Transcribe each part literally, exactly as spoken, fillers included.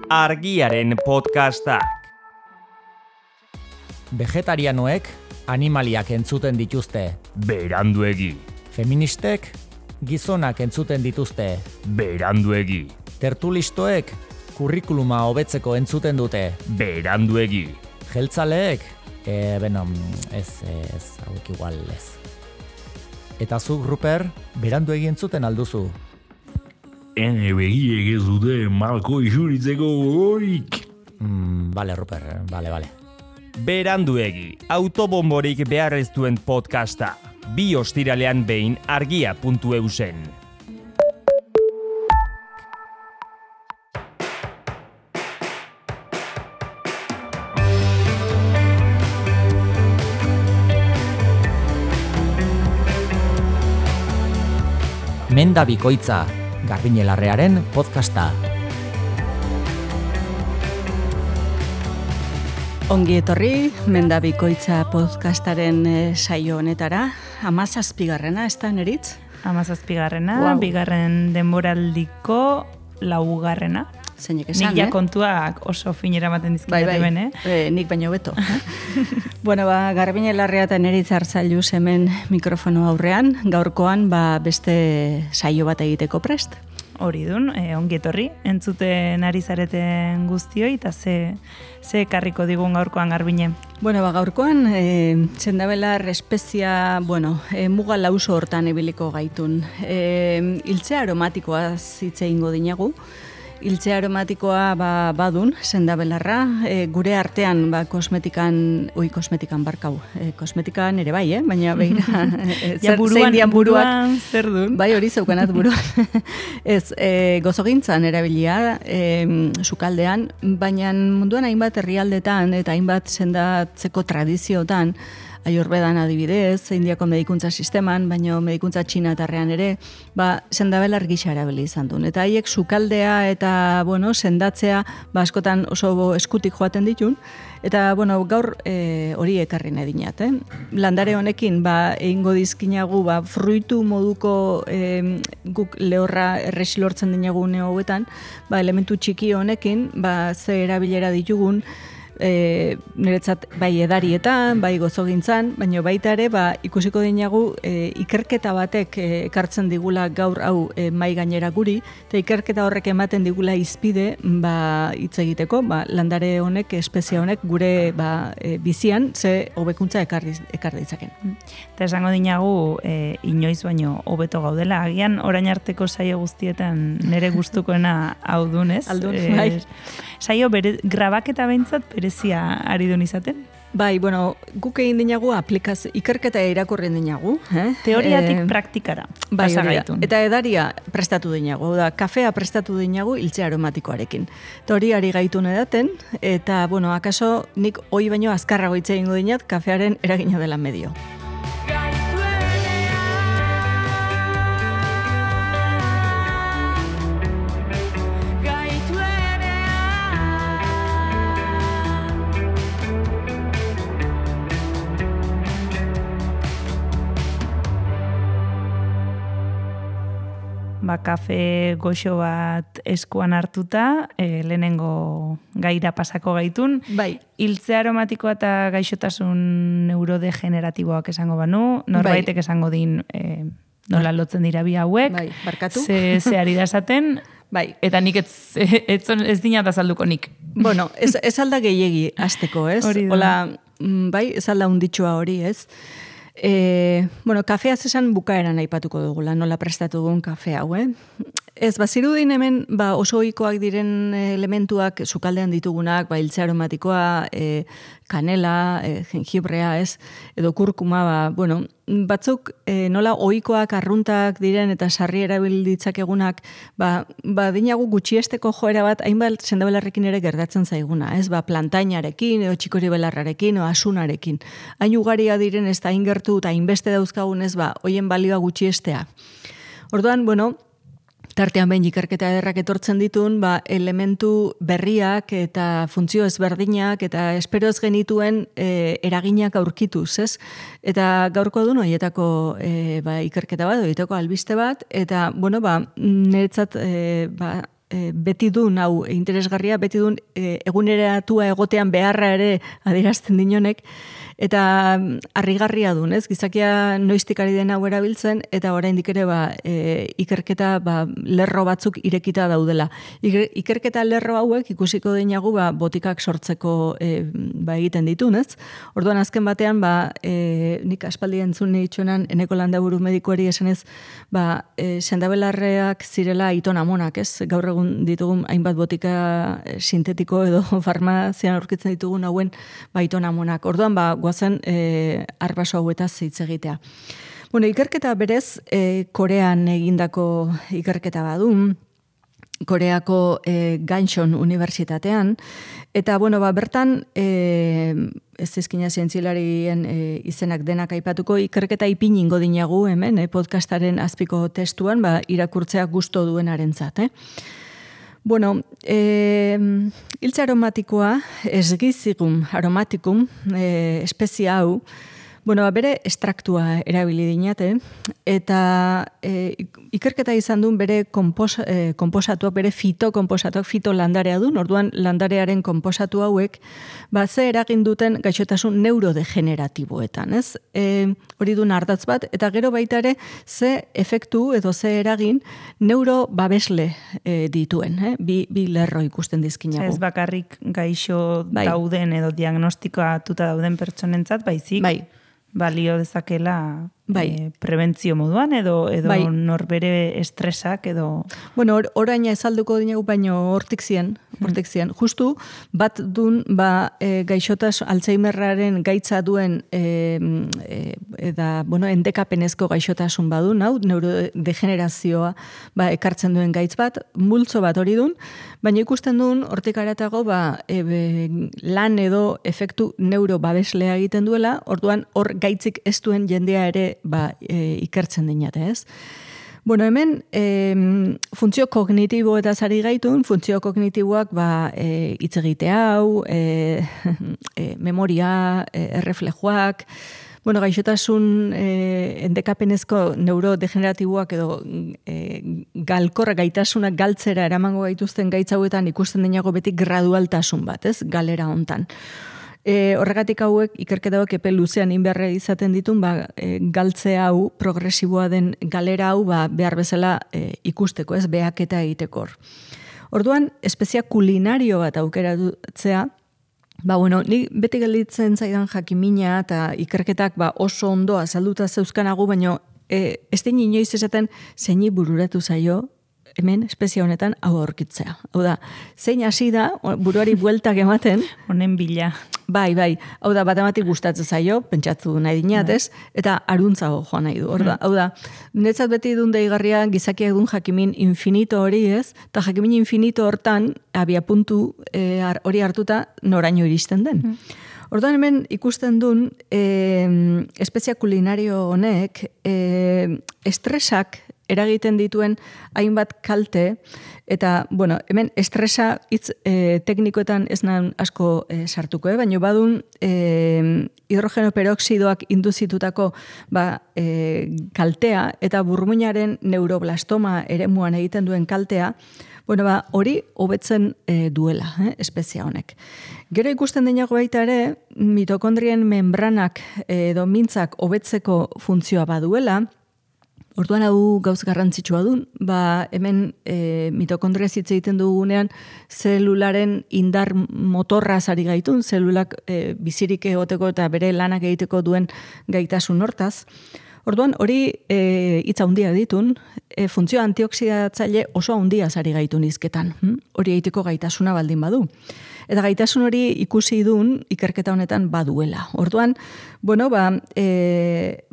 Argiaren podcastak. Vegetarianoek animaliak entzuten dituzte. Beranduegi. Feministek gizonak entzuten dituzte. Beranduegi. Tertulistoek kurrikuluma hobetzeko entzuten dute. Beranduegi. Jeltzaleek, e, beno, ez, ez, hauek igual ez. Eta zuk, Ruper, beranduegi entzuten alduzu. Ene begiek ez dute malko isuritzeko gogorik. Mm, bale, Ruper, bale, bale. Beranduegi, autobomborik behar ez duen podcasta. Bi ostiralean behin argia puntu eusen. Menda bikoitza, Garbiñelarrearen podcasta. Ongi etorri, Menda bikoitza podcastaren e, saio honetara. Hamazazpigarrena, ez da, Neritz? Hamazazpigarrena, Wow. bigarren denboraldiko laugarrena. Zeinek esan, Nik ja eh? kontuak oso finera ematen Bai, dizkitate bai, ben, eh? e, nik baino beto. Bueno, ba, Garbiñelarrea eta Neritz Artzailuz hemen mikrofono aurrean, gaurkoan ba, beste saio bat egiteko prest. Hori dun, e, ongi etorri, entzuten ari zareten guztioi, eta ze, ze ekarriko digun gaurkoan Garbine. Bueno, ba, gaurkoan, e, zendabelar espezia, bueno, e, muga lauso hortan ibiliko gaitun. E, iltzea aromatikoaz hitz egingo dinagu. Iltzea aromatikoa ba, badun, sendabelarra, e, gure artean ba, kosmetikan, oi kosmetikan barkau, e, kosmetikan ere bai, eh? Baina begira, e, Ja, buruan, zein dian buruak, buruan zer dun? bai hori zeukanat buruan. Ez, e, gozogintzan erabilia, e, sukaldean, baina munduan hainbat herrialdetan eta hainbat sendatzeko tradiziotan, Ayurvedan adibidez, Indiako medikuntza sisteman, baina medikuntza txinatarrean ere, ba, sendabelar gisa erabili izan duen. Eta haiek sukaldea eta, bueno, sendatzea, ba, askotan oso eskutik joaten ditun, eta, bueno, gaur e, hori ekarri nahi dinat, eh? Landare honekin, ba, egingo dizkinagu, ba, fruitu moduko e, guk lehorra erresi lortzen dinagu une hauetan, ba, elementu txiki honekin, ba, ze erabilera ditugun, E, niretzat bai edarietan, bai gozogintzan, baina baita ere ba, ikusiko dinagu e, ikerketa batek e, ekartzen digula gaur hau e, mai gainera guri, eta ikerketa horrek ematen digula izpide ba, hitz egiteko, ba, landare honek, espezia honek gure ba, e, bizian ze hobekuntza ekar ekar ditzaken. Eta esango dinagu, e, inoiz baino hobeto gaudela, agian orain arteko saio guztietan nire gustukoena hau dunez. Aldun, E, bai. Saio bere, grabaketa behintzat berezia ari dun izaten. Bai, bueno, guk egin dinagu aplikazio, ikerketa irakurri dinagu. Eh? Teoriatik E, praktikara. Bai, pasa hori da. gaitun. Eta edaria prestatu dinagu, da, kafea prestatu dinagu iltzea aromatikoarekin. Eta hori ari gaitun edaten, eta, bueno, akaso nik hoi baino azkarrago hitz egingo dinat, kafearen eragina dela medio. Ba, kafe goxo bat eskuan hartuta, e, lehenengo gaira pasako gaitun. Bai. Hiltze aromatikoa eta gaixotasun neurodegeneratiboak esango banu, norbaitek esango din e, nola lotzen dira bi hauek, Bai, barkatu. ze, ze ari da esaten, Bai. eta nik ez, ez, ez dinat azalduko nik. Bueno, ez, ez alda gehiegi hasteko, ez? Hori da. Hola, mm, bai, ez alda unditxua hori, ez? E, bueno, kafeaz esan bukaeran aipatuko dugula, nola prestatu dugun kafe hau, eh? Ez, bazirudin hemen ba, oso ohikoak diren elementuak sukaldean ditugunak, ba, hiltze aromatikoa, e, kanela, e, jengibrea, ez, edo kurkuma, ba, bueno, batzuk e, nola ohikoak arruntak diren eta sarri erabil ditzakegunak, ba, ba dinagu gutxiesteko joera bat, hainbat sendabelarrekin ere gertatzen zaiguna, ez, ba, plantainarekin, edo txikori belarrarekin, edo asunarekin. Hain ugaria diren ez da hain gertu eta hainbeste dauzkagun ez, ba, hoien balioa gutxiestea. Orduan, bueno, tartean behin ikerketa ederrak etortzen ditun, ba, elementu berriak eta funtzio ezberdinak eta espero ez genituen e, eraginak aurkituz, ez? Eta gaurko duen horietako e, ba, ikerketa bat, horietako albiste bat, eta, bueno, ba, niretzat e, ba, e, beti dun, hau interesgarria, beti dun e, eguneratua egotean beharra ere adierazten dinonek, eta harrigarria dun, ez? Gizakia noiztik ari den hau erabiltzen, eta oraindik ere ba, e, ikerketa ba, lerro batzuk irekita daudela. Iker, ikerketa lerro hauek ikusiko dinagu ba, botikak sortzeko e, ba, egiten ditun, ez? Orduan azken batean, ba, e, nik aspaldi entzun nitxonan, eneko landaburu medikuari esanez, ba, e, sendabelarreak zirela iton amonak, ez? Gaur egun ditugun hainbat botika sintetiko edo farmazian aurkitzen ditugun hauen ba, iton amonak. Orduan, ba, guazen e, arbaso hauetaz hitz egitea. Bueno, ikerketa berez, e, Korean egindako ikerketa badun, Koreako e, Ganchon Unibertsitatean, eta bueno, ba, bertan e, ez ezkina zientzialarien e, izenak denak aipatuko, ikerketa ipin ingo dinagu hemen, e, podcastaren azpiko testuan, ba, irakurtzea gusto duenarentzat, eh? Bueno, e, iltza aromatikoa, esgizigum aromatikum, e, espezia hau, bueno, bere estraktua erabili dinate, eta e, ikerketa izan duen bere kompos, e, komposatuak, bere fitokomposatuak, fito landarea duen, orduan landarearen komposatu hauek, ba, ze eragin duten gaixotasun neurodegeneratiboetan, ez? E, hori duen ardatz bat, eta gero baita ere, ze efektu edo ze eragin neurobabesle e, dituen, eh? bi, bi lerro ikusten dizkinago. Ez bakarrik gaixo bai. dauden edo diagnostikoatuta dauden pertsonentzat, baizik. Bai. Balio dezakela bai. e, prebentzio moduan edo edo bai. norbere estresak edo... Bueno, or, oraina ezalduko dinagu baino hortik zien, hortik zien. Justu, bat dun, ba, e, gaixotas Alzheimerraren gaitza duen e, e, da, bueno, endekapenezko gaixotasun badun, hau, neurodegenerazioa ba, ekartzen duen gaitz bat, multzo bat hori dun, baina ikusten duen, hortik aratago, ba, e, be, lan edo efektu neurobabeslea egiten duela, orduan hor gaitzik ez duen jendea ere ba, e, ikertzen dinate, ez? Bueno, hemen e, funtzio kognitibo eta zari gaitun, funtzio kognitiboak ba, e, hitz egite hau, e, e, memoria, e, erreflejoak, bueno, gaixotasun e, endekapenezko neurodegeneratiboak edo e, galkorra gaitasunak galtzera eramango gaituzten gaitz hauetan ikusten dinago beti gradualtasun bat, ez? Galera hontan. E, horregatik hauek, ikerketa hauek epe luzean inberre izaten ditun, ba, e, galtze hau, progresiboa den galera hau, ba, behar bezala e, ikusteko, ez, behaketa egiteko. Orduan, espezia kulinario bat aukeratzea, ba, bueno, ni beti gelditzen zaidan jakimina eta ikerketak ba, oso ondo azalduta zeuzkanagu, baina e, ez din inoiz esaten zeini bururatu zaio, hemen espezia honetan hau aurkitzea. Hau da, zein hasi da, buruari bueltak ematen. Honen bila. Bai, bai. Hau da, bat ematik gustatzen zaio, pentsatzu nahi dinatez, eta aruntzago joan nahi du. Orda, hau da, netzat beti dun deigarria gizakiak dun jakimin infinito hori ez, eta jakimin infinito hortan, abia puntu e, hori hartuta noraino iristen den. Mm. Orduan hemen ikusten dun, e, espezia kulinario honek, e, estresak eragiten dituen hainbat kalte, eta, bueno, hemen estresa hitz e, teknikoetan ez nan asko e, sartuko, eh? Baina badun e, hidrogeno peroxidoak induzitutako ba, e, kaltea, eta burmuinaren neuroblastoma eremuan egiten duen kaltea, bueno, ba, hori hobetzen e, duela, eh? Espezia honek. Gero ikusten denago baita ere, mitokondrien membranak edo mintzak hobetzeko funtzioa baduela. Orduan hau gauz garrantzitsua dun, ba, hemen e, mitokondria hitz egiten dugunean zelularen indar motorra zari gaitun, zelulak e, bizirik egoteko eta bere lanak egiteko duen gaitasun hortaz. Orduan hori e, hitza handia ditun, e, funtzio antioxidatzaile oso handia zari gaitun izketan. Hm? Hori egiteko gaitasuna baldin badu. Eta gaitasun hori ikusi dun ikerketa honetan baduela. Orduan, bueno, ba, e,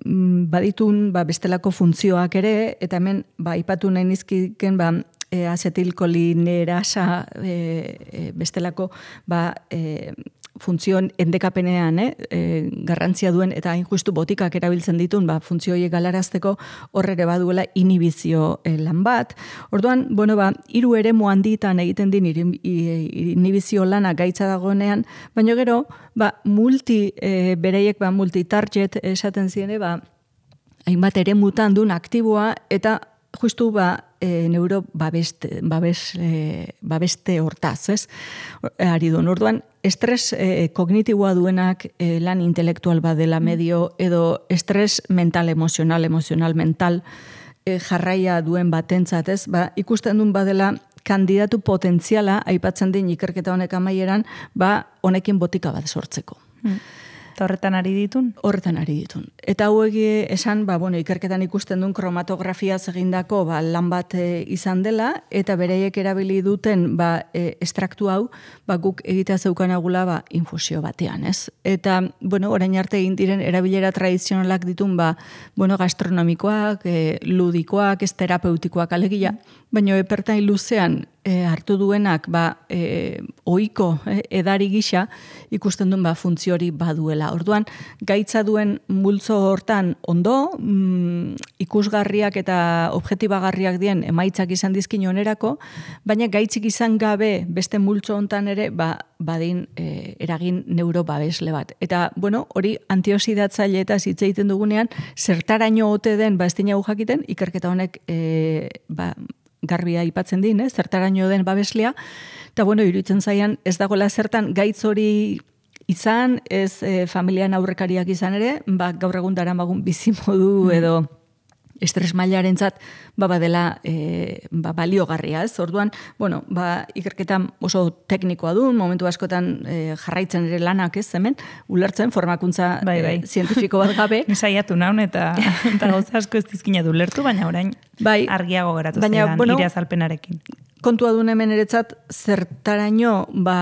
baditun ba, bestelako funtzioak ere, eta hemen ba, ipatu nahi nizkiken ba, e, azetilkolinerasa e, e, bestelako ba, e, funtzioen endekapenean eh, e, garrantzia duen eta hain justu botikak erabiltzen ditun ba, funtzio horiek galarazteko horrere baduela inhibizio e, lan bat. Orduan, bueno, ba, hiru eremu handitan egiten din inhibizio lana gaitza dagoenean, baina gero, ba, multi, e, bereiek ba, multi-target esaten ziene, ba, hainbat eremutan duen aktiboa eta justu ba, e, neuro babeste, babes, e, babeste hortaz, ez? Ari duen, orduan, estres e, kognitiboa duenak e, lan intelektual badela medio, edo estres mental, emozional, emozional, mental, e, jarraia duen batentzat, ez? Ba, ikusten duen badela, kandidatu potentziala, aipatzen din ikerketa honek amaieran, ba, honekin botika bat sortzeko. Hmm. Eta horretan ari ditun? Horretan ari ditun. Eta hau esan, ba, bueno, ikerketan ikusten duen kromatografia egindako ba, lan bat e, izan dela, eta bereiek erabili duten ba, e, estraktu hau, ba, guk egitea zeukanagula ba, infusio batean, ez? Eta, bueno, orain arte egin diren erabilera tradizionalak ditun, ba, bueno, gastronomikoak, e, ludikoak, ez terapeutikoak alegia, baina epertain luzean e, hartu duenak ba, e, ohiko e, edari gisa ikusten duen ba, funtziori baduela. Orduan, gaitza duen multzo hortan ondo, mm, ikusgarriak eta objektibagarriak dien emaitzak izan dizkin onerako, baina gaitzik izan gabe beste multzo hontan ere ba, badin e, eragin neurobabesle bat. Eta, bueno, hori antioxidatzaile eta hitz egiten dugunean, zertaraino ote den, ba, ez dinagu jakiten, ikerketa honek e, ba, garbia aipatzen din, eh? Zertaraino den babeslea, eta bueno, iruditzen zaian ez dagoela zertan gaitz hori izan, ez e, familian aurrekariak izan ere, ba, gaur egun daramagun bizimodu edo estres mailarentzat ba badela e, ba, baliogarria, ez? Orduan, bueno, ba, ikerketan oso teknikoa du, momentu askotan e, jarraitzen ere lanak, ez, hemen, ulertzen formakuntza bai, bai. E, zientifiko bat gabe. Saiatu naun eta, eta gauza asko ez dizkina du lertu, baina orain bai, argiago geratu baina, zaidan, bueno, ire azalpenarekin. Kontua duen hemen eretzat, zertaraino ba,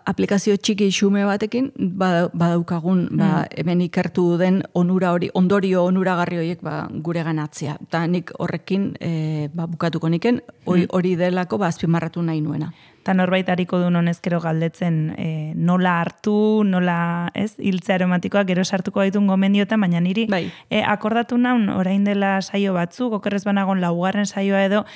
aplikazio txiki xume batekin, ba, badaukagun ba, hemen ikertu den onura hori, ondorio onuragarri horiek ba, gure ganatzea. Eta nik horrekin e, ba, bukatuko niken, hori, hori delako ba, azpimarratu nahi nuena. Eta norbait hariko du honezkero galdetzen e, nola hartu, nola, ez, hiltze aromatikoa, gero sartuko gaitun gomendiotan, baina niri bai. e, akordatu naun orain dela saio batzuk, okerrez banagon laugarren saioa edo,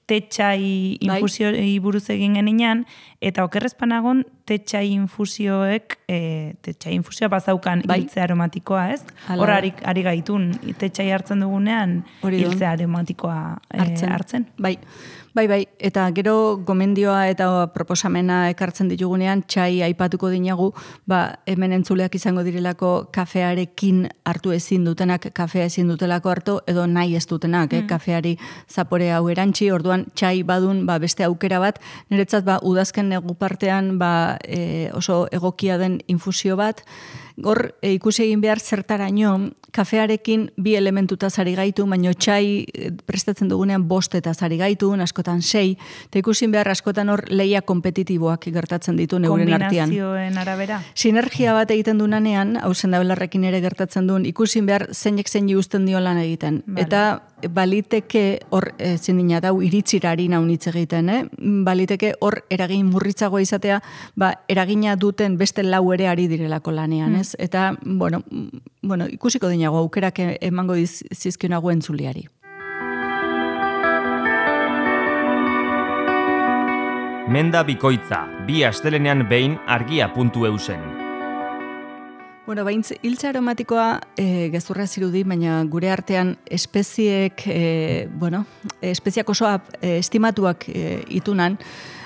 tetxai infusioi buruz egin geninan, eta okerrezpanagon tetxai infusioek, e, tetxai infusioa bazaukan bai. Hiltze aromatikoa, ez? Hor ari, ari gaitun, tetxai hartzen dugunean hiltze aromatikoa e, hartzen. hartzen. Bai. Bai, bai, eta gero gomendioa eta proposamena ekartzen ditugunean, txai aipatuko dinagu, ba, hemen entzuleak izango direlako kafearekin hartu ezin dutenak, kafea ezin dutelako hartu, edo nahi ez dutenak, mm. eh, kafeari zapore hau erantzi, orduan txai badun ba, beste aukera bat, niretzat ba, udazken negu partean ba, e, oso egokia den infusio bat, Hor, e, ikusi egin behar zertaraino, kafearekin bi elementuta zari gaitu, baino txai prestatzen dugunean bost eta zari gaitu, askotan sei, eta ikusi behar askotan hor leia kompetitiboak gertatzen ditu neuren artean. Kombinazioen arabera? Sinergia bat egiten du nanean, hau zendabelarrekin ere gertatzen duen, ikusi behar zeinek zein uzten dio lan egiten. Vale. Eta baliteke hor, ezin dina dau, iritzirari naunitz egiten, eh? Baliteke hor eragin murritzagoa izatea, ba, eragina duten beste lau ere ari direlako lanean, mm. ez? Eta, bueno, bueno, ikusiko dinago aukerak emango zizkionago entzuliari. Menda bikoitza, bi astelenean behin argia puntu eusen. Bueno, baintz, hiltze aromatikoa e, gezurra zirudi, baina gure artean espeziek, e, bueno, espeziak oso e, estimatuak e, itunan,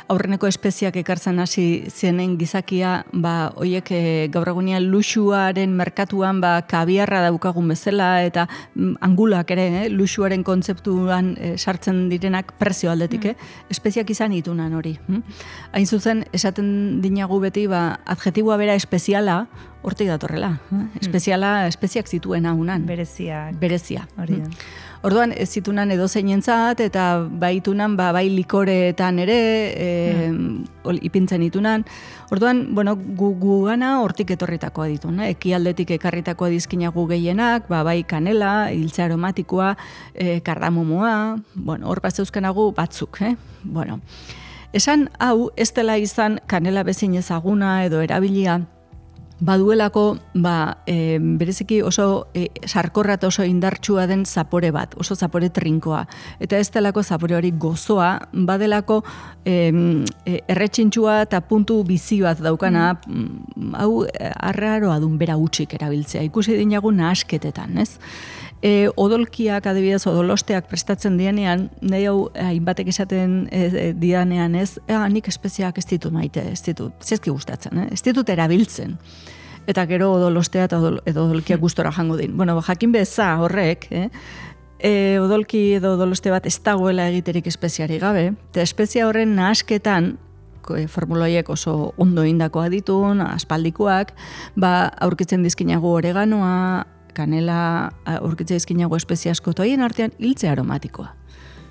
aurreneko espeziak ekartzen hasi zenen gizakia, ba, oiek e, gaur egunean luxuaren merkatuan ba, kabiarra daukagun bezala, eta mm, angulak ere, eh, luxuaren kontzeptuan e, sartzen direnak prezio aldetik, mm. eh? Espeziak izan itunan hori. Hm? Hain zuzen, esaten dinagu beti, ba, adjetiboa bera espeziala, hortik datorrela. Eh? Espeziala, espeziak zituen haunan. Bereziak. Berezia. Hori da. Orduan, ez zitunan edo zeinentzat, eta baitunan, ba, bai likoreetan ere, e, mm. ipintzen itunan. Orduan, bueno, gu, gu gana hortik etorritakoa ditu, ne? Ekialdetik ekarritakoa dizkinagu gehienak, ba, bai kanela, hiltze aromatikoa, e, kardamomoa, bueno, hor bat zeuzkanagu batzuk, eh? Bueno, esan hau, ez dela izan kanela bezin ezaguna edo erabilia, baduelako, ba, e, bereziki oso e, sarkorra eta oso indartsua den zapore bat, oso zapore trinkoa. Eta ez delako zapore hori gozoa, badelako e, e, erretxintxua eta puntu bizi bat daukana, mm. hau arraroa dun bera utxik erabiltzea. Ikusi dinagu nahasketetan, ez? E, odolkiak, adibidez, odolosteak prestatzen dienean, nahi hau hainbatek esaten e, e, dianean ez, ea, nik espeziak ez ditut maite, ez ditut, zezki gustatzen, eh? ez ditut erabiltzen. Eta gero odolostea eta odol, edo odolkiak gustora jango din. Bueno, jakin beza horrek, eh? E, odolki edo odoloste bat ez dagoela egiterik espeziari gabe, eta espezia horren nahasketan, formuloiek oso ondo indakoa ditun, aspaldikoak, ba, aurkitzen dizkinago oreganoa, kanela, aurkitzen dizkinago espezia asko, toien artean hiltze aromatikoa.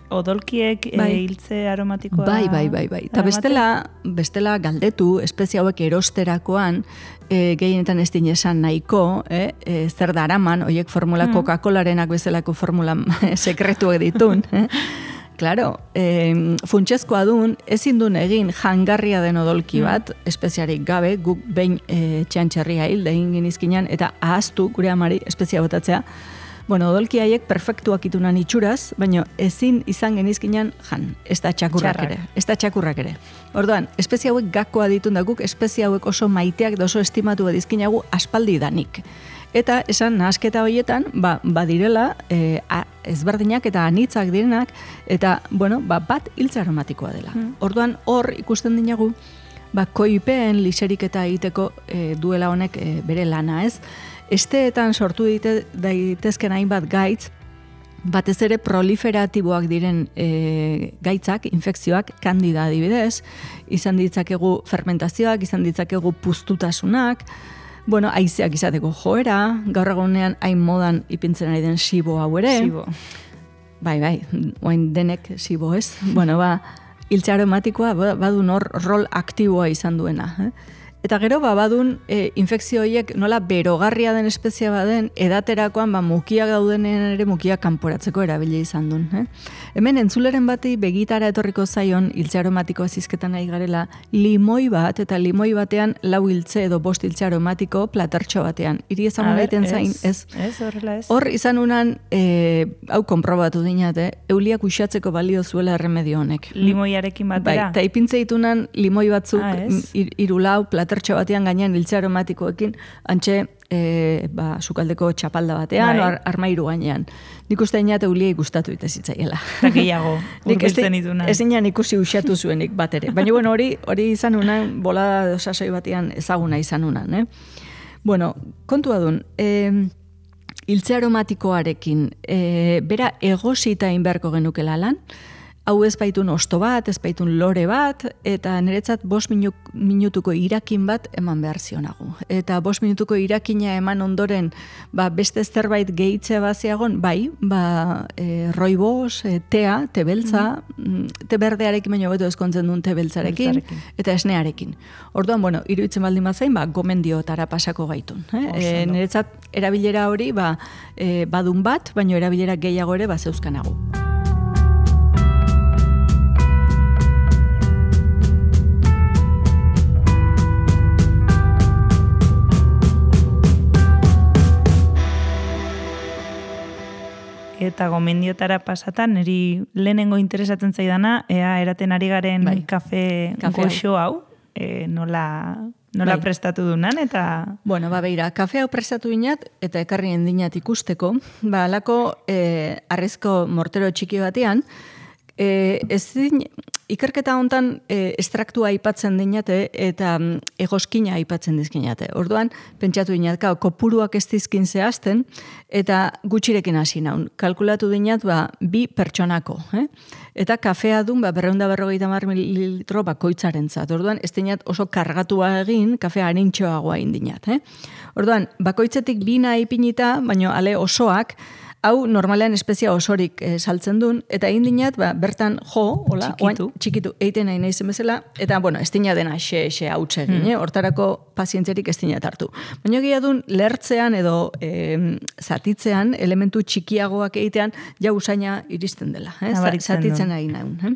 Odolkiek bai. e, hiltze aromatikoa... Bai, bai, bai, bai. Eta bestela, bestela galdetu, espezia hauek erosterakoan, e, gehienetan ez dinesan nahiko, eh? e, zer daraman, oiek formula mm. Coca-Colarenak bezalako formula sekretuak ditun, eh? Claro, eh, funtsezkoa dun, ezin duen egin jangarria den odolki bat, mm. espeziarik gabe, guk behin e, txantxarria hil, egin genizkinan, eta ahaztu gure amari espezia botatzea. Bueno, odolki haiek perfektuak itunan itxuraz, baina ezin izan genizkinan jan, ez da txakurrak Txarrak. ere. Ez da txakurrak ere. Orduan, espezia hauek gakoa ditun da guk, espezia hauek oso maiteak da oso estimatu dizkinagu aspaldi danik. Eta esan nahasketa horietan, ba, badirela e, a, ezberdinak eta anitzak direnak, eta, bueno, ba, bat hiltze aromatikoa dela. Mm. Orduan, hor ikusten dinagu, ba, koipeen liseriketa egiteko e, duela honek e, bere lana, ez? Esteetan sortu daite, daitezken hainbat gaitz, batez ere proliferatiboak diren e, gaitzak, infekzioak, kandida adibidez, izan ditzakegu fermentazioak, izan ditzakegu puztutasunak, bueno, haizeak izateko joera, gaur egunean hain modan ipintzen ari den sibo hau ere. Sibo. Bai, bai, oain denek sibo ez. Bueno, ba, hiltze aromatikoa badun hor rol aktiboa izan duena. Eh? Eta gero, ba, badun e, infekzio horiek nola berogarria den espezia baden, edaterakoan ba, mukiak daudenen ere mukiak kanporatzeko erabili izan duen. Eh? Hemen entzuleren bati begitara etorriko zaion hiltze aromatikoa zizketan nahi garela, limoi bat, eta limoi batean lau hiltze edo bost hiltze aromatiko platertxo batean. Iri ezagun daiten zain, ez? Ez, horrela ez. Hor izan unan, e, hau konprobatu dinate, euliak uxatzeko balio zuela erremedio honek. Limoiarekin batera? Bai, eta ipintze ditunan limoi batzuk, ah, ir, irulau, platertxo batean gainean hiltze aromatikoekin, antxe, e, ba, sukaldeko txapalda batean, bai. ar, armairu gainean. Nik uste dinat euliei gustatu ite zitzaiela. Eta gehiago, urbiltzen itunan. Ez inan ikusi usatu zuenik bat ere. Baina, bueno, hori hori izan unan, bolada dosasoi batean ezaguna izan unan, eh? Bueno, kontua dun, eh, hiltze aromatikoarekin, eh, bera egosita inberko genukela lan, hau ez baitun osto bat, ez baitun lore bat, eta niretzat bost minu, minutuko irakin bat eman behar zionago. Eta bost minutuko irakina eman ondoren, ba, beste zerbait gehitze baziagon, bai, ba, e, roibos, e, tea, te beltza, mm. te berdearekin baino beto ezkontzen duen te beltzarekin, eta esnearekin. Orduan, bueno, iruditzen baldin bazain, ba, gomendiotara pasako gaitun. Eh? E, niretzat erabilera hori, ba, e, badun bat, baino erabilera gehiago ere, ba, zeuzkanago. Eta gomendiotara pasatan, niri lehenengo interesatzen zaidana, ea eraten ari garen bai. kafe, kafe goxo hau, e, nola, nola bai. prestatu dunan, eta... Bueno, ba, beira, kafe hau prestatu dinat, eta ekarri endinat ikusteko, ba, alako e, arrezko mortero txiki batean, e, ez din, ikerketa hontan e, estraktua aipatzen dinate eta mm, egoskina aipatzen dizkinate. Orduan, pentsatu dinat, kopuruak ez dizkin zehazten, eta gutxirekin hasi naun. Kalkulatu dinat, ba, bi pertsonako. Eh? Eta kafea dun, ba, berreunda berrogeita mar mililitro bakoitzaren zat. Orduan, ez dinat oso kargatua egin, kafea harintxoagoa indinat. Eh? Orduan, bakoitzetik bina ipinita, baino ale osoak, hau normalean espezia osorik e, saltzen duen, eta egin dinat, ba, bertan jo, hola, txikitu, oain, txikitu eiten nahi nahi bezala, eta, bueno, ez dina dena xe-xe hautze egin, mm. eh? Hortarako pazientzerik ez dinat hartu. Baina egia duen, lertzean edo e, zatitzean, elementu txikiagoak egitean, ja usaina iristen dela, eh? Zatitzen nahi nahi. Eh?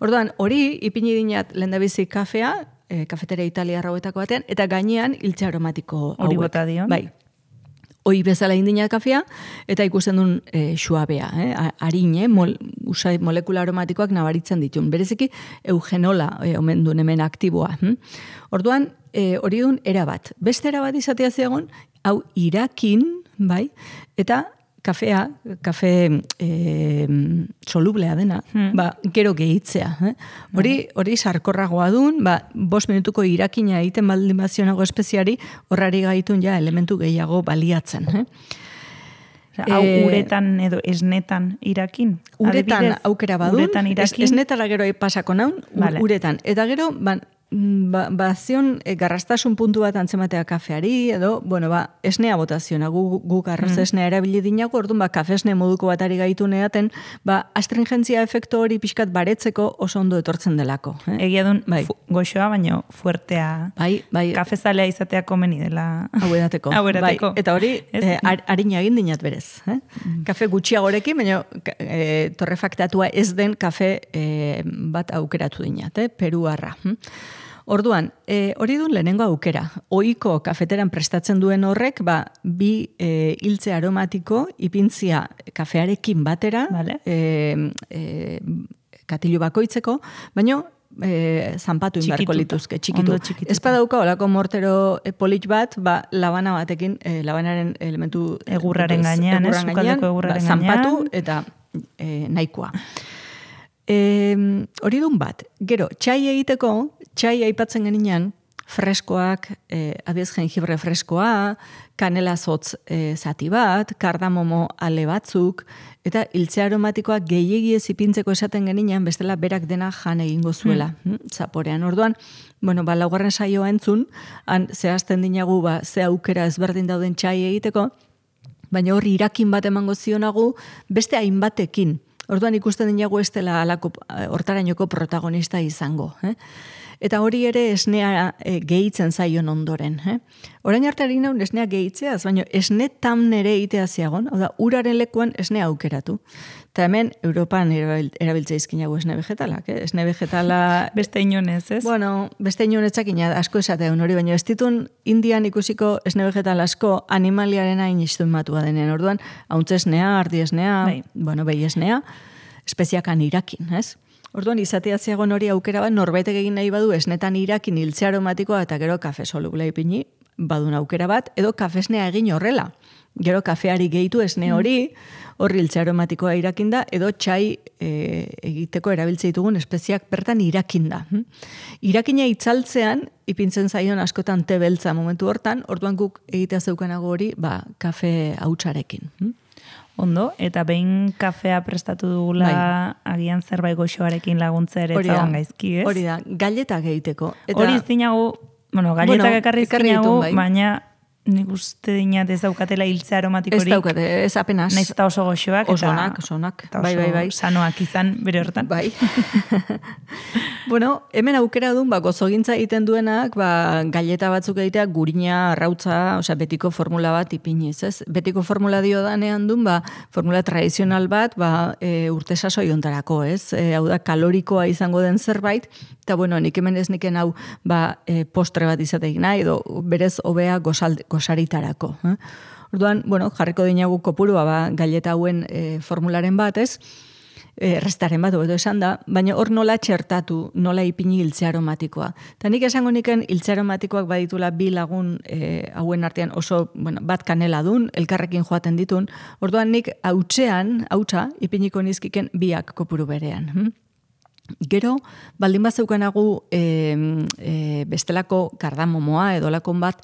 Orduan, hori, ipini dinat lehendabizi kafea, e, kafetera italiarra hauetako batean, eta gainean hiltze aromatiko hauek. Hori bota dion. Bai. Hoi bezala indina kafea, eta ikusten duen e, suabea, eh? Arine, mol, usai molekula aromatikoak nabaritzen ditun. Bereziki, eugenola e, omen duen hemen aktiboa. Hm? Orduan, e, hori duen erabat. Beste erabat izatea zegoen, hau irakin, bai, eta kafea, kafe e, solublea dena, hmm. ba, gero gehitzea. Eh? Hori, hori sarkorragoa dun, ba, bost minutuko irakina egiten baldin bazionago espeziari, horrari gaitun ja elementu gehiago baliatzen. Eh? Hau e, uretan edo esnetan irakin? Uretan adibidez, aukera badun, uretan irakin? Es, esnetara gero pasako naun, vale. Uretan. Eta gero, ba, ba, ba zion e, garrastasun puntu bat antzematea kafeari, edo, bueno, ba, esnea botaziona, gu, gu garraz mm. esnea erabili dinago, orduan, ba, kafe esne moduko bat ari gaitu neaten, ba, astringentzia efektu hori pixkat baretzeko oso ondo etortzen delako. Eh? Egia dun, bai. Goxoa, baino fuertea, bai, bai. Kafezalea izatea komeni dela. Hau edateko. Hau edateko. Bai. Eta hori, eh, harina egin dinat berez. Eh? Mm. Kafe gutxiagorekin, baina e, torrefaktatua ez den kafe e, bat aukeratu dinat, eh? Peruarra. Hm? Orduan, e, hori duen lehenengo aukera. Ohiko kafeteran prestatzen duen horrek, ba, bi e, hiltze aromatiko ipintzia kafearekin batera, vale. e, e, katilu bakoitzeko, baina e, zanpatu inbarko lituzke, txikitu. Ez badauka, olako mortero polit bat, ba, labana batekin, e, labanaren elementu egurraren gainean, ez, sukaldeko egurraren gainean, zanpatu eta e, nahikoa. E, hori dun bat, gero, txai egiteko, txai aipatzen geninean, freskoak, e, adiez jengibre freskoa, kanela zotz e, zati bat, kardamomo ale batzuk, eta hiltze aromatikoa gehiegi ez ipintzeko esaten geninean, bestela berak dena jan egingo zuela, mm. zaporean. Orduan, bueno, ba, laugarren saioa entzun, han zehazten dinagu, ba, ze aukera ezberdin dauden txai egiteko, baina hori irakin bat emango zionagu, beste hainbatekin. Orduan ikusten dinago ez dela alako hortarainoko protagonista izango. Eh? Eta hori ere esnea e, gehitzen zaion ondoren. Eh? Orain arteari naun esnea gehitzeaz, baina esne tamnere egitea ziagon, hau da, uraren lekuan esnea aukeratu. Eta hemen, Europan erabiltzea izkinago esne vegetalak. Eh? Esne vegetala... Beste inonez, ez? Bueno, beste inonetzakina asko esatean hori, baina ez ditun Indian ikusiko esne vegetal asko animaliaren hain istumatua denen. Orduan, hauntze esnea, ardi esnea, bai. Bueno, behi esnea, espeziakan irakin, ez? Orduan, izatea ziagon hori aukera bat, norbaitek egin nahi badu esnetan irakin hiltze aromatikoa eta gero kafe soluble ipini, badun aukera bat, edo kafesnea egin horrela. Gero kafeari gehitu esne hori, horri hiltze aromatikoa irakinda, edo txai e, egiteko erabiltze ditugun espeziak bertan irakinda. Irakina itzaltzean, ipintzen zaion askotan te beltza momentu hortan, orduan guk egitea zeukanago hori, ba, kafe hautsarekin. Ondo, eta behin kafea prestatu dugula bai. Agian zerbait goxoarekin laguntza ere zagoan gaizki, ez? Hori da, galletak egiteko. Eta, hori zinagu, bueno, galletak bueno, ekarri zinagu, bai. Baina nik uste dinat ez daukatela hiltze aromatikorik. Ez daukate, ez apenas. Naiz eta oso goxoak. Osonak, osonak. Eta oso bai, bai, bai. sanoak izan bere hortan. Bai. Bueno, hemen aukera duen, ba, gozogintza egiten duenak, ba, galleta batzuk egitea gurina, arrautza, osea, betiko formula bat ipiniz, ez? Betiko formula dio danean duen, ba, formula tradizional bat, ba, e, urte sasoi ontarako, ez? E, hau da, kalorikoa izango den zerbait, eta, bueno, nik hemen ez niken hau, ba, e, postre bat izateik nahi, edo berez hobea gozalde, gozaritarako. Eh? Orduan, bueno, jarriko dinagu kopurua ba, galleta hauen e, formularen bat, ez? E, restaren bat, edo esan da, baina hor nola txertatu, nola ipini hiltze aromatikoa. Eta nik esango niken hiltze aromatikoak baditula bi lagun e, hauen artean oso, bueno, bat kanela dun, elkarrekin joaten ditun, orduan nik hautsean, hautsa, ipiniko nizkiken biak kopuru berean. Hm? Gero, baldin bat zeukanagu e, e, bestelako kardamomoa edo lakon bat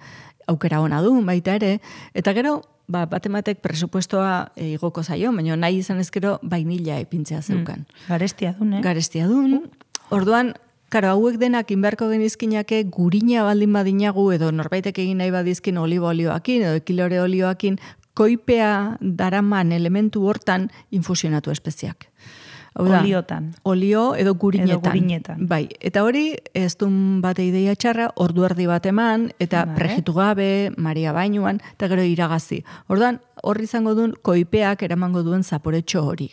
aukera ona du, baita ere, eta gero, ba, batematek presupuestoa e, igoko zaio, baina nahi izan ezkero bainila ipintzea zeukan. Mm, garestia dun, eh? Garestia dun. Orduan, karo, hauek denak inberko genizkinake gurina baldin badinagu, edo norbaitek egin nahi badizkin olibo olioakin, edo ekilore olioakin, koipea daraman elementu hortan infusionatu espeziak. Da, oliotan. Olio edo gurinetan. Edo gurinetan. Bai, eta hori ez dun bate ideia txarra, ordu erdi bat eman, eta vale. Prejitu gabe, Maria bainuan, eta gero iragazi. Orduan, horri izango duen koipeak eramango duen zaporetxo hori.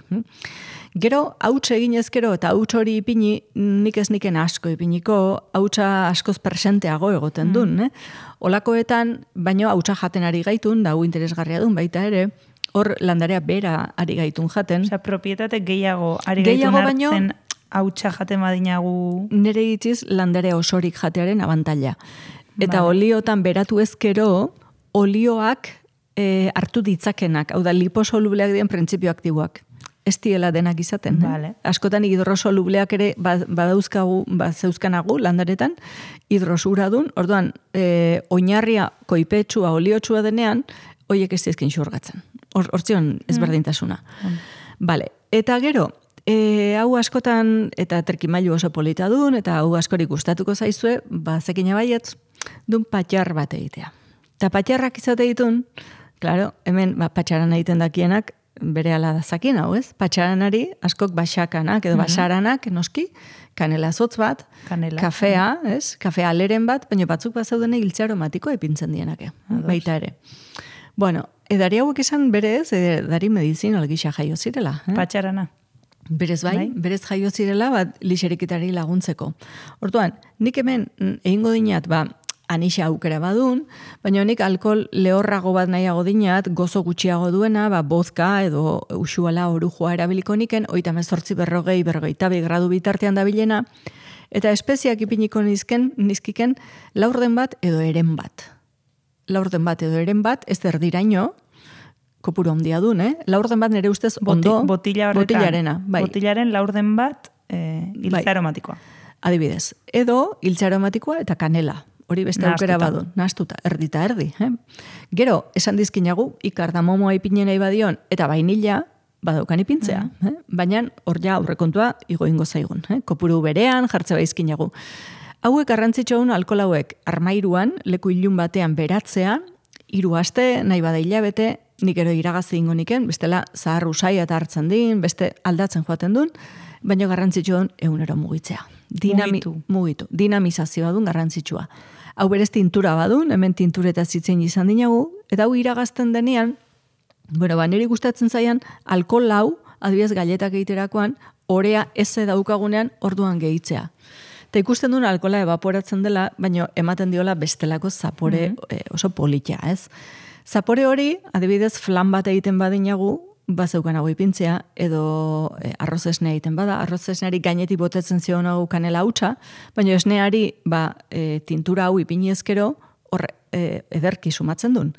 Gero, hauts egin ezkero eta hauts hori ipini, nik ez niken asko ipiniko, hautsa askoz presenteago egoten duen. Mm. Eh? Olakoetan, baino hautsa jaten ari gaitun, da hu interesgarria duen baita ere, hor landarea bera ari gaitun jaten. Osea, propietate gehiago ari gehiago gaitun hartzen hautsa jaten badinagu. Nere itziz landare osorik jatearen abantaila. Eta vale. Oliotan beratu ezkero, olioak e, hartu ditzakenak, hau da liposolubleak diren printzipio aktiboak. Ez diela denak izaten. Vale. Eh? Askotan hidrosolubleak ere badauzkagu, ba, zeuzkanagu landaretan, hidrosuradun, orduan, e, oinarria koipetsua, oliotsua denean, hoiek ez dizkin xurgatzen. Hortzion ezberdintasuna. Mm. Vale. Eta gero, e, hau askotan, eta terkimailu oso polita dun, eta hau askorik gustatuko zaizue, ba, zekina baietz, dun patxar bat egitea. Eta patxarrak izate ditun, claro, hemen ba, patxaran egiten dakienak, bere ala dazakin, hau ez? Patxaranari askok basakanak edo basaranak, noski, kanela zotz bat, kanela. Kafea, ez? Kafea aleren bat, baina batzuk bat zaudene hiltza aromatiko epintzen dienake, baita ere. Bueno, edari hauek esan berez, edari medizinal gisa jaio zirela. Eh? Patxarana. Berez bai, bai, berez jaio zirela, bat lixerikitari laguntzeko. Orduan, nik hemen egingo dinat, ba, anixa aukera badun, baina nik alkohol lehorrago bat nahiago dinat, gozo gutxiago duena, ba, bozka edo usuala orujoa erabiliko niken, oita mezortzi berrogei, berrogeita bi gradu bitartean dabilena, eta espeziak ipiniko nizken, nizkiken laurden bat edo eren bat. Laurden bat edo eren bat, ez erdiraino, kopuru handia dun, eh? Laurden bat nire ustez ondo, Boti, botila horretan, botilarena. Bai. Botilaren laurden bat eh, hiltza bai. Aromatikoa. Adibidez, edo hiltza aromatikoa eta kanela. Hori beste aukera badun, nahaztuta, erdita erdi. Eh? Gero, esan dizkinagu, ikardamomoa ipinen nahi badion, eta vainilla, badaukan ipintzea. Mm. Eh? Baina, hor ja aurrekontua igo ingo zaigun. Eh? Kopuru berean, jartze baizkinagu. Hauek garrantzitsuun alkohol hauek armairuan, leku ilun batean beratzea, hiru aste, nahi bada hilabete, nik ero iragazi ingo niken, bestela zahar usai eta hartzen din, beste aldatzen joaten duen, baina garrantzitsuun egunero mugitzea. Dinami, mugitu. mugitu. Dinamizazioa duen garrantzitsua. Hau berez tintura badun, hemen tintureta zitzen izan dinagu, eta hau iragazten denean, bueno, ba, niri gustatzen zaian, alkohol hau, adibidez galetak egiterakoan, orea eze daukagunean orduan gehitzea. Eta ikusten duen alkohola evaporatzen dela, baina ematen diola bestelako zapore mm-hmm. oso politia, ez? Zapore hori, adibidez, flan bat egiten badinagu, bazeukanago ipintzea, edo e, arroz esnea egiten bada, arroz esneari gainetik botetzen zionago kanela hautsa, baina esneari ba, e, tintura hau ipini ezkero, hor e, ederki sumatzen duen.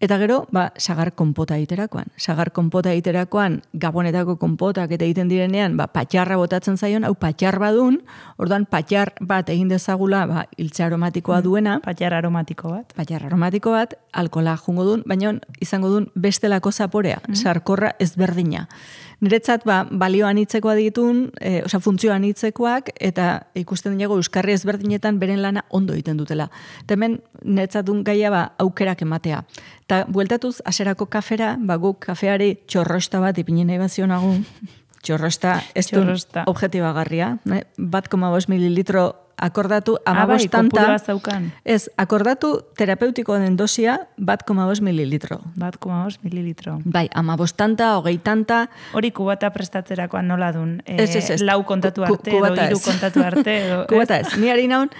Eta gero, ba, sagar konpota egiterakoan. Sagar konpota egiterakoan, gabonetako konpotak eta egiten direnean, ba, patxarra botatzen zaion, hau patxar badun, orduan patxar bat egin dezagula, ba, hiltza aromatikoa duena. Patxar aromatiko bat. Patxar aromatiko bat, alkohola jungo duen, baina izango duen bestelako zaporea, mm. sarkorra ezberdina. Niretzat, ba, balio anitzekoa ditun, e, oza, funtzio anitzekoak, eta ikusten dugu euskarri ezberdinetan beren lana ondo egiten dutela. Eta hemen, niretzatun gaia, ba, aukerak ematea. Eta bueltatuz, aserako kafera, ba, guk kafeari txorrosta bat ipinen nahi bazionagu. Txorrosta, ez du objetibagarria. Ne? Bat koma bost mililitro akordatu amabostanta. Ez, akordatu terapeutiko den dosia bat koma bost mililitro. Bat koma bost mililitro. Bai, amabostanta, hogeitanta. Hori kubata prestatzerakoan nola dun? E, ez, ez, ez. Lau kontatu arte, edo hiru kontatu arte. Edo, kubata ez. Ni ari naun,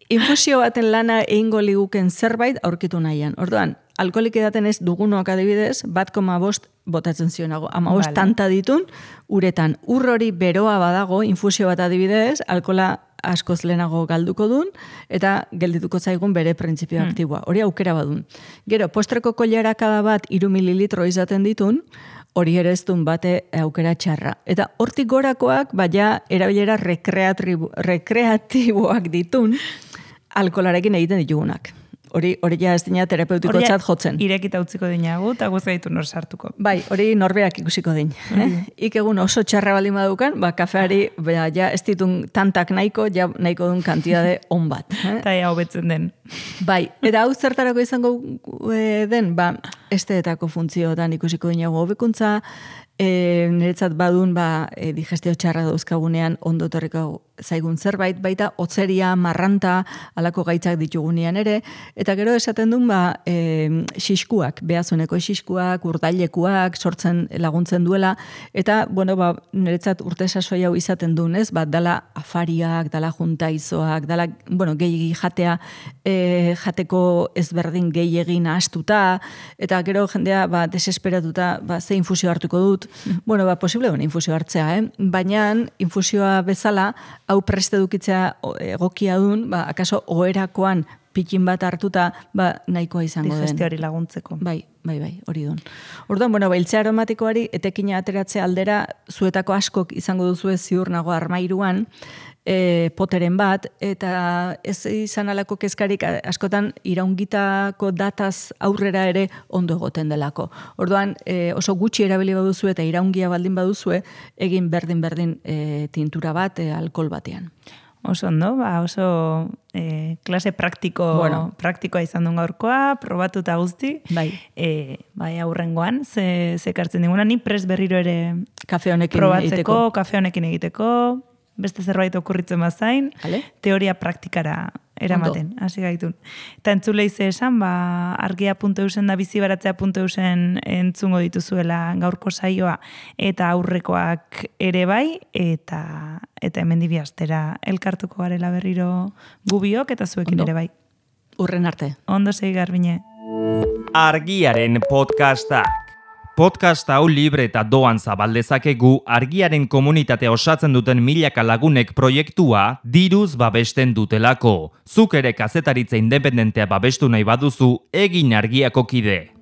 infusio baten lana egingo liguken zerbait aurkitu nahian. Orduan, alkoholik edaten ez dugunoak adibidez, bat koma bost botatzen zionago. Ama bost vale. Tanta ditun, uretan ur hori beroa badago, infusio bat adibidez, alkohola askoz lehenago galduko dun, eta geldituko zaigun bere printzipio hmm. aktiboa. Hori aukera badun. Gero, postreko kollarakada bat iru mililitro izaten ditun, hori ere ez duen bate aukera txarra. Eta hortik gorakoak, baina erabilera rekreatiboak ditun, alkoholarekin egiten ditugunak. Hori, hori ja ez dina terapeutiko txat jotzen. Irekita utziko dinagu, eta guzaitu nor sartuko. Bai, hori norbeak ikusiko din. Eh? Ik egun oso txarra baldin badukan, ba, kafeari ba, ja ez ditun tantak nahiko, ja nahiko duen kantidade on bat. Eh? Eta ja hobetzen den. Bai, eta hau zertarako izango e, den, ba, esteetako funtzioetan ikusiko dinagu hobekuntza, e, niretzat badun, ba, e, digestio txarra dauzkagunean ondo torriko zaigun zerbait, baita otzeria, marranta, alako gaitzak ditugunean ere, eta gero esaten duen, ba, e, xiskuak, behazuneko xiskuak, urdailekuak, sortzen laguntzen duela, eta, bueno, ba, niretzat urte sasoi hau izaten duen, ez, ba, dala afariak, dala juntaizoak, dala, bueno, gehiagi jatea, e, jateko ezberdin gehiagin astuta, eta gero jendea, ba, desesperatuta, ba, ze infusio hartuko dut, bueno, ba, posible duen infusio hartzea, eh? Baina infusioa bezala, hau preste dukitzea egokia dun, ba, akaso oherakoan pitin bat hartuta, ba, nahikoa izango den. Digestioari laguntzeko. Bai, bai, bai, hori duen. Orduan, bueno, iltze aromatikoari etekina ateratzea aldera, zuetako askok izango duzu ziur nago armairuan, e, poteren bat, eta ez izan alako kezkarik askotan iraungitako dataz aurrera ere ondo egoten delako. Orduan, e, oso gutxi erabili baduzu eta iraungia baldin baduzue, egin berdin-berdin e, tintura bat, e, alkohol batean. Oso ondo, ba, oso e, klase praktiko, bueno. praktikoa izan duen gaurkoa, probatuta guzti. Bai. E, bai, aurrengoan, ze, ze kartzen diguna, ni pres berriro ere kafe honekin probatzeko, egiteko. kafe honekin egiteko, beste zerbait okurritzen bazain, Ale? teoria praktikara eramaten, hasi gaitun. Eta entzulei ze esan, ba, argia puntu eusen da bizibaratzea puntu eusen entzungo dituzuela gaurko saioa eta aurrekoak ere bai, eta eta hemen dibi astera elkartuko garela berriro gubiok eta zuekin Ondo. ere bai. Urren arte. Ondo segi Garbine. Argiaren podcasta. Podcast hau libre eta doan zabaldezakegu argiaren komunitatea osatzen duten milaka lagunek proiektua diruz babesten dutelako. Zuk ere kazetaritza independentea babestu nahi baduzu, egin argiako kide.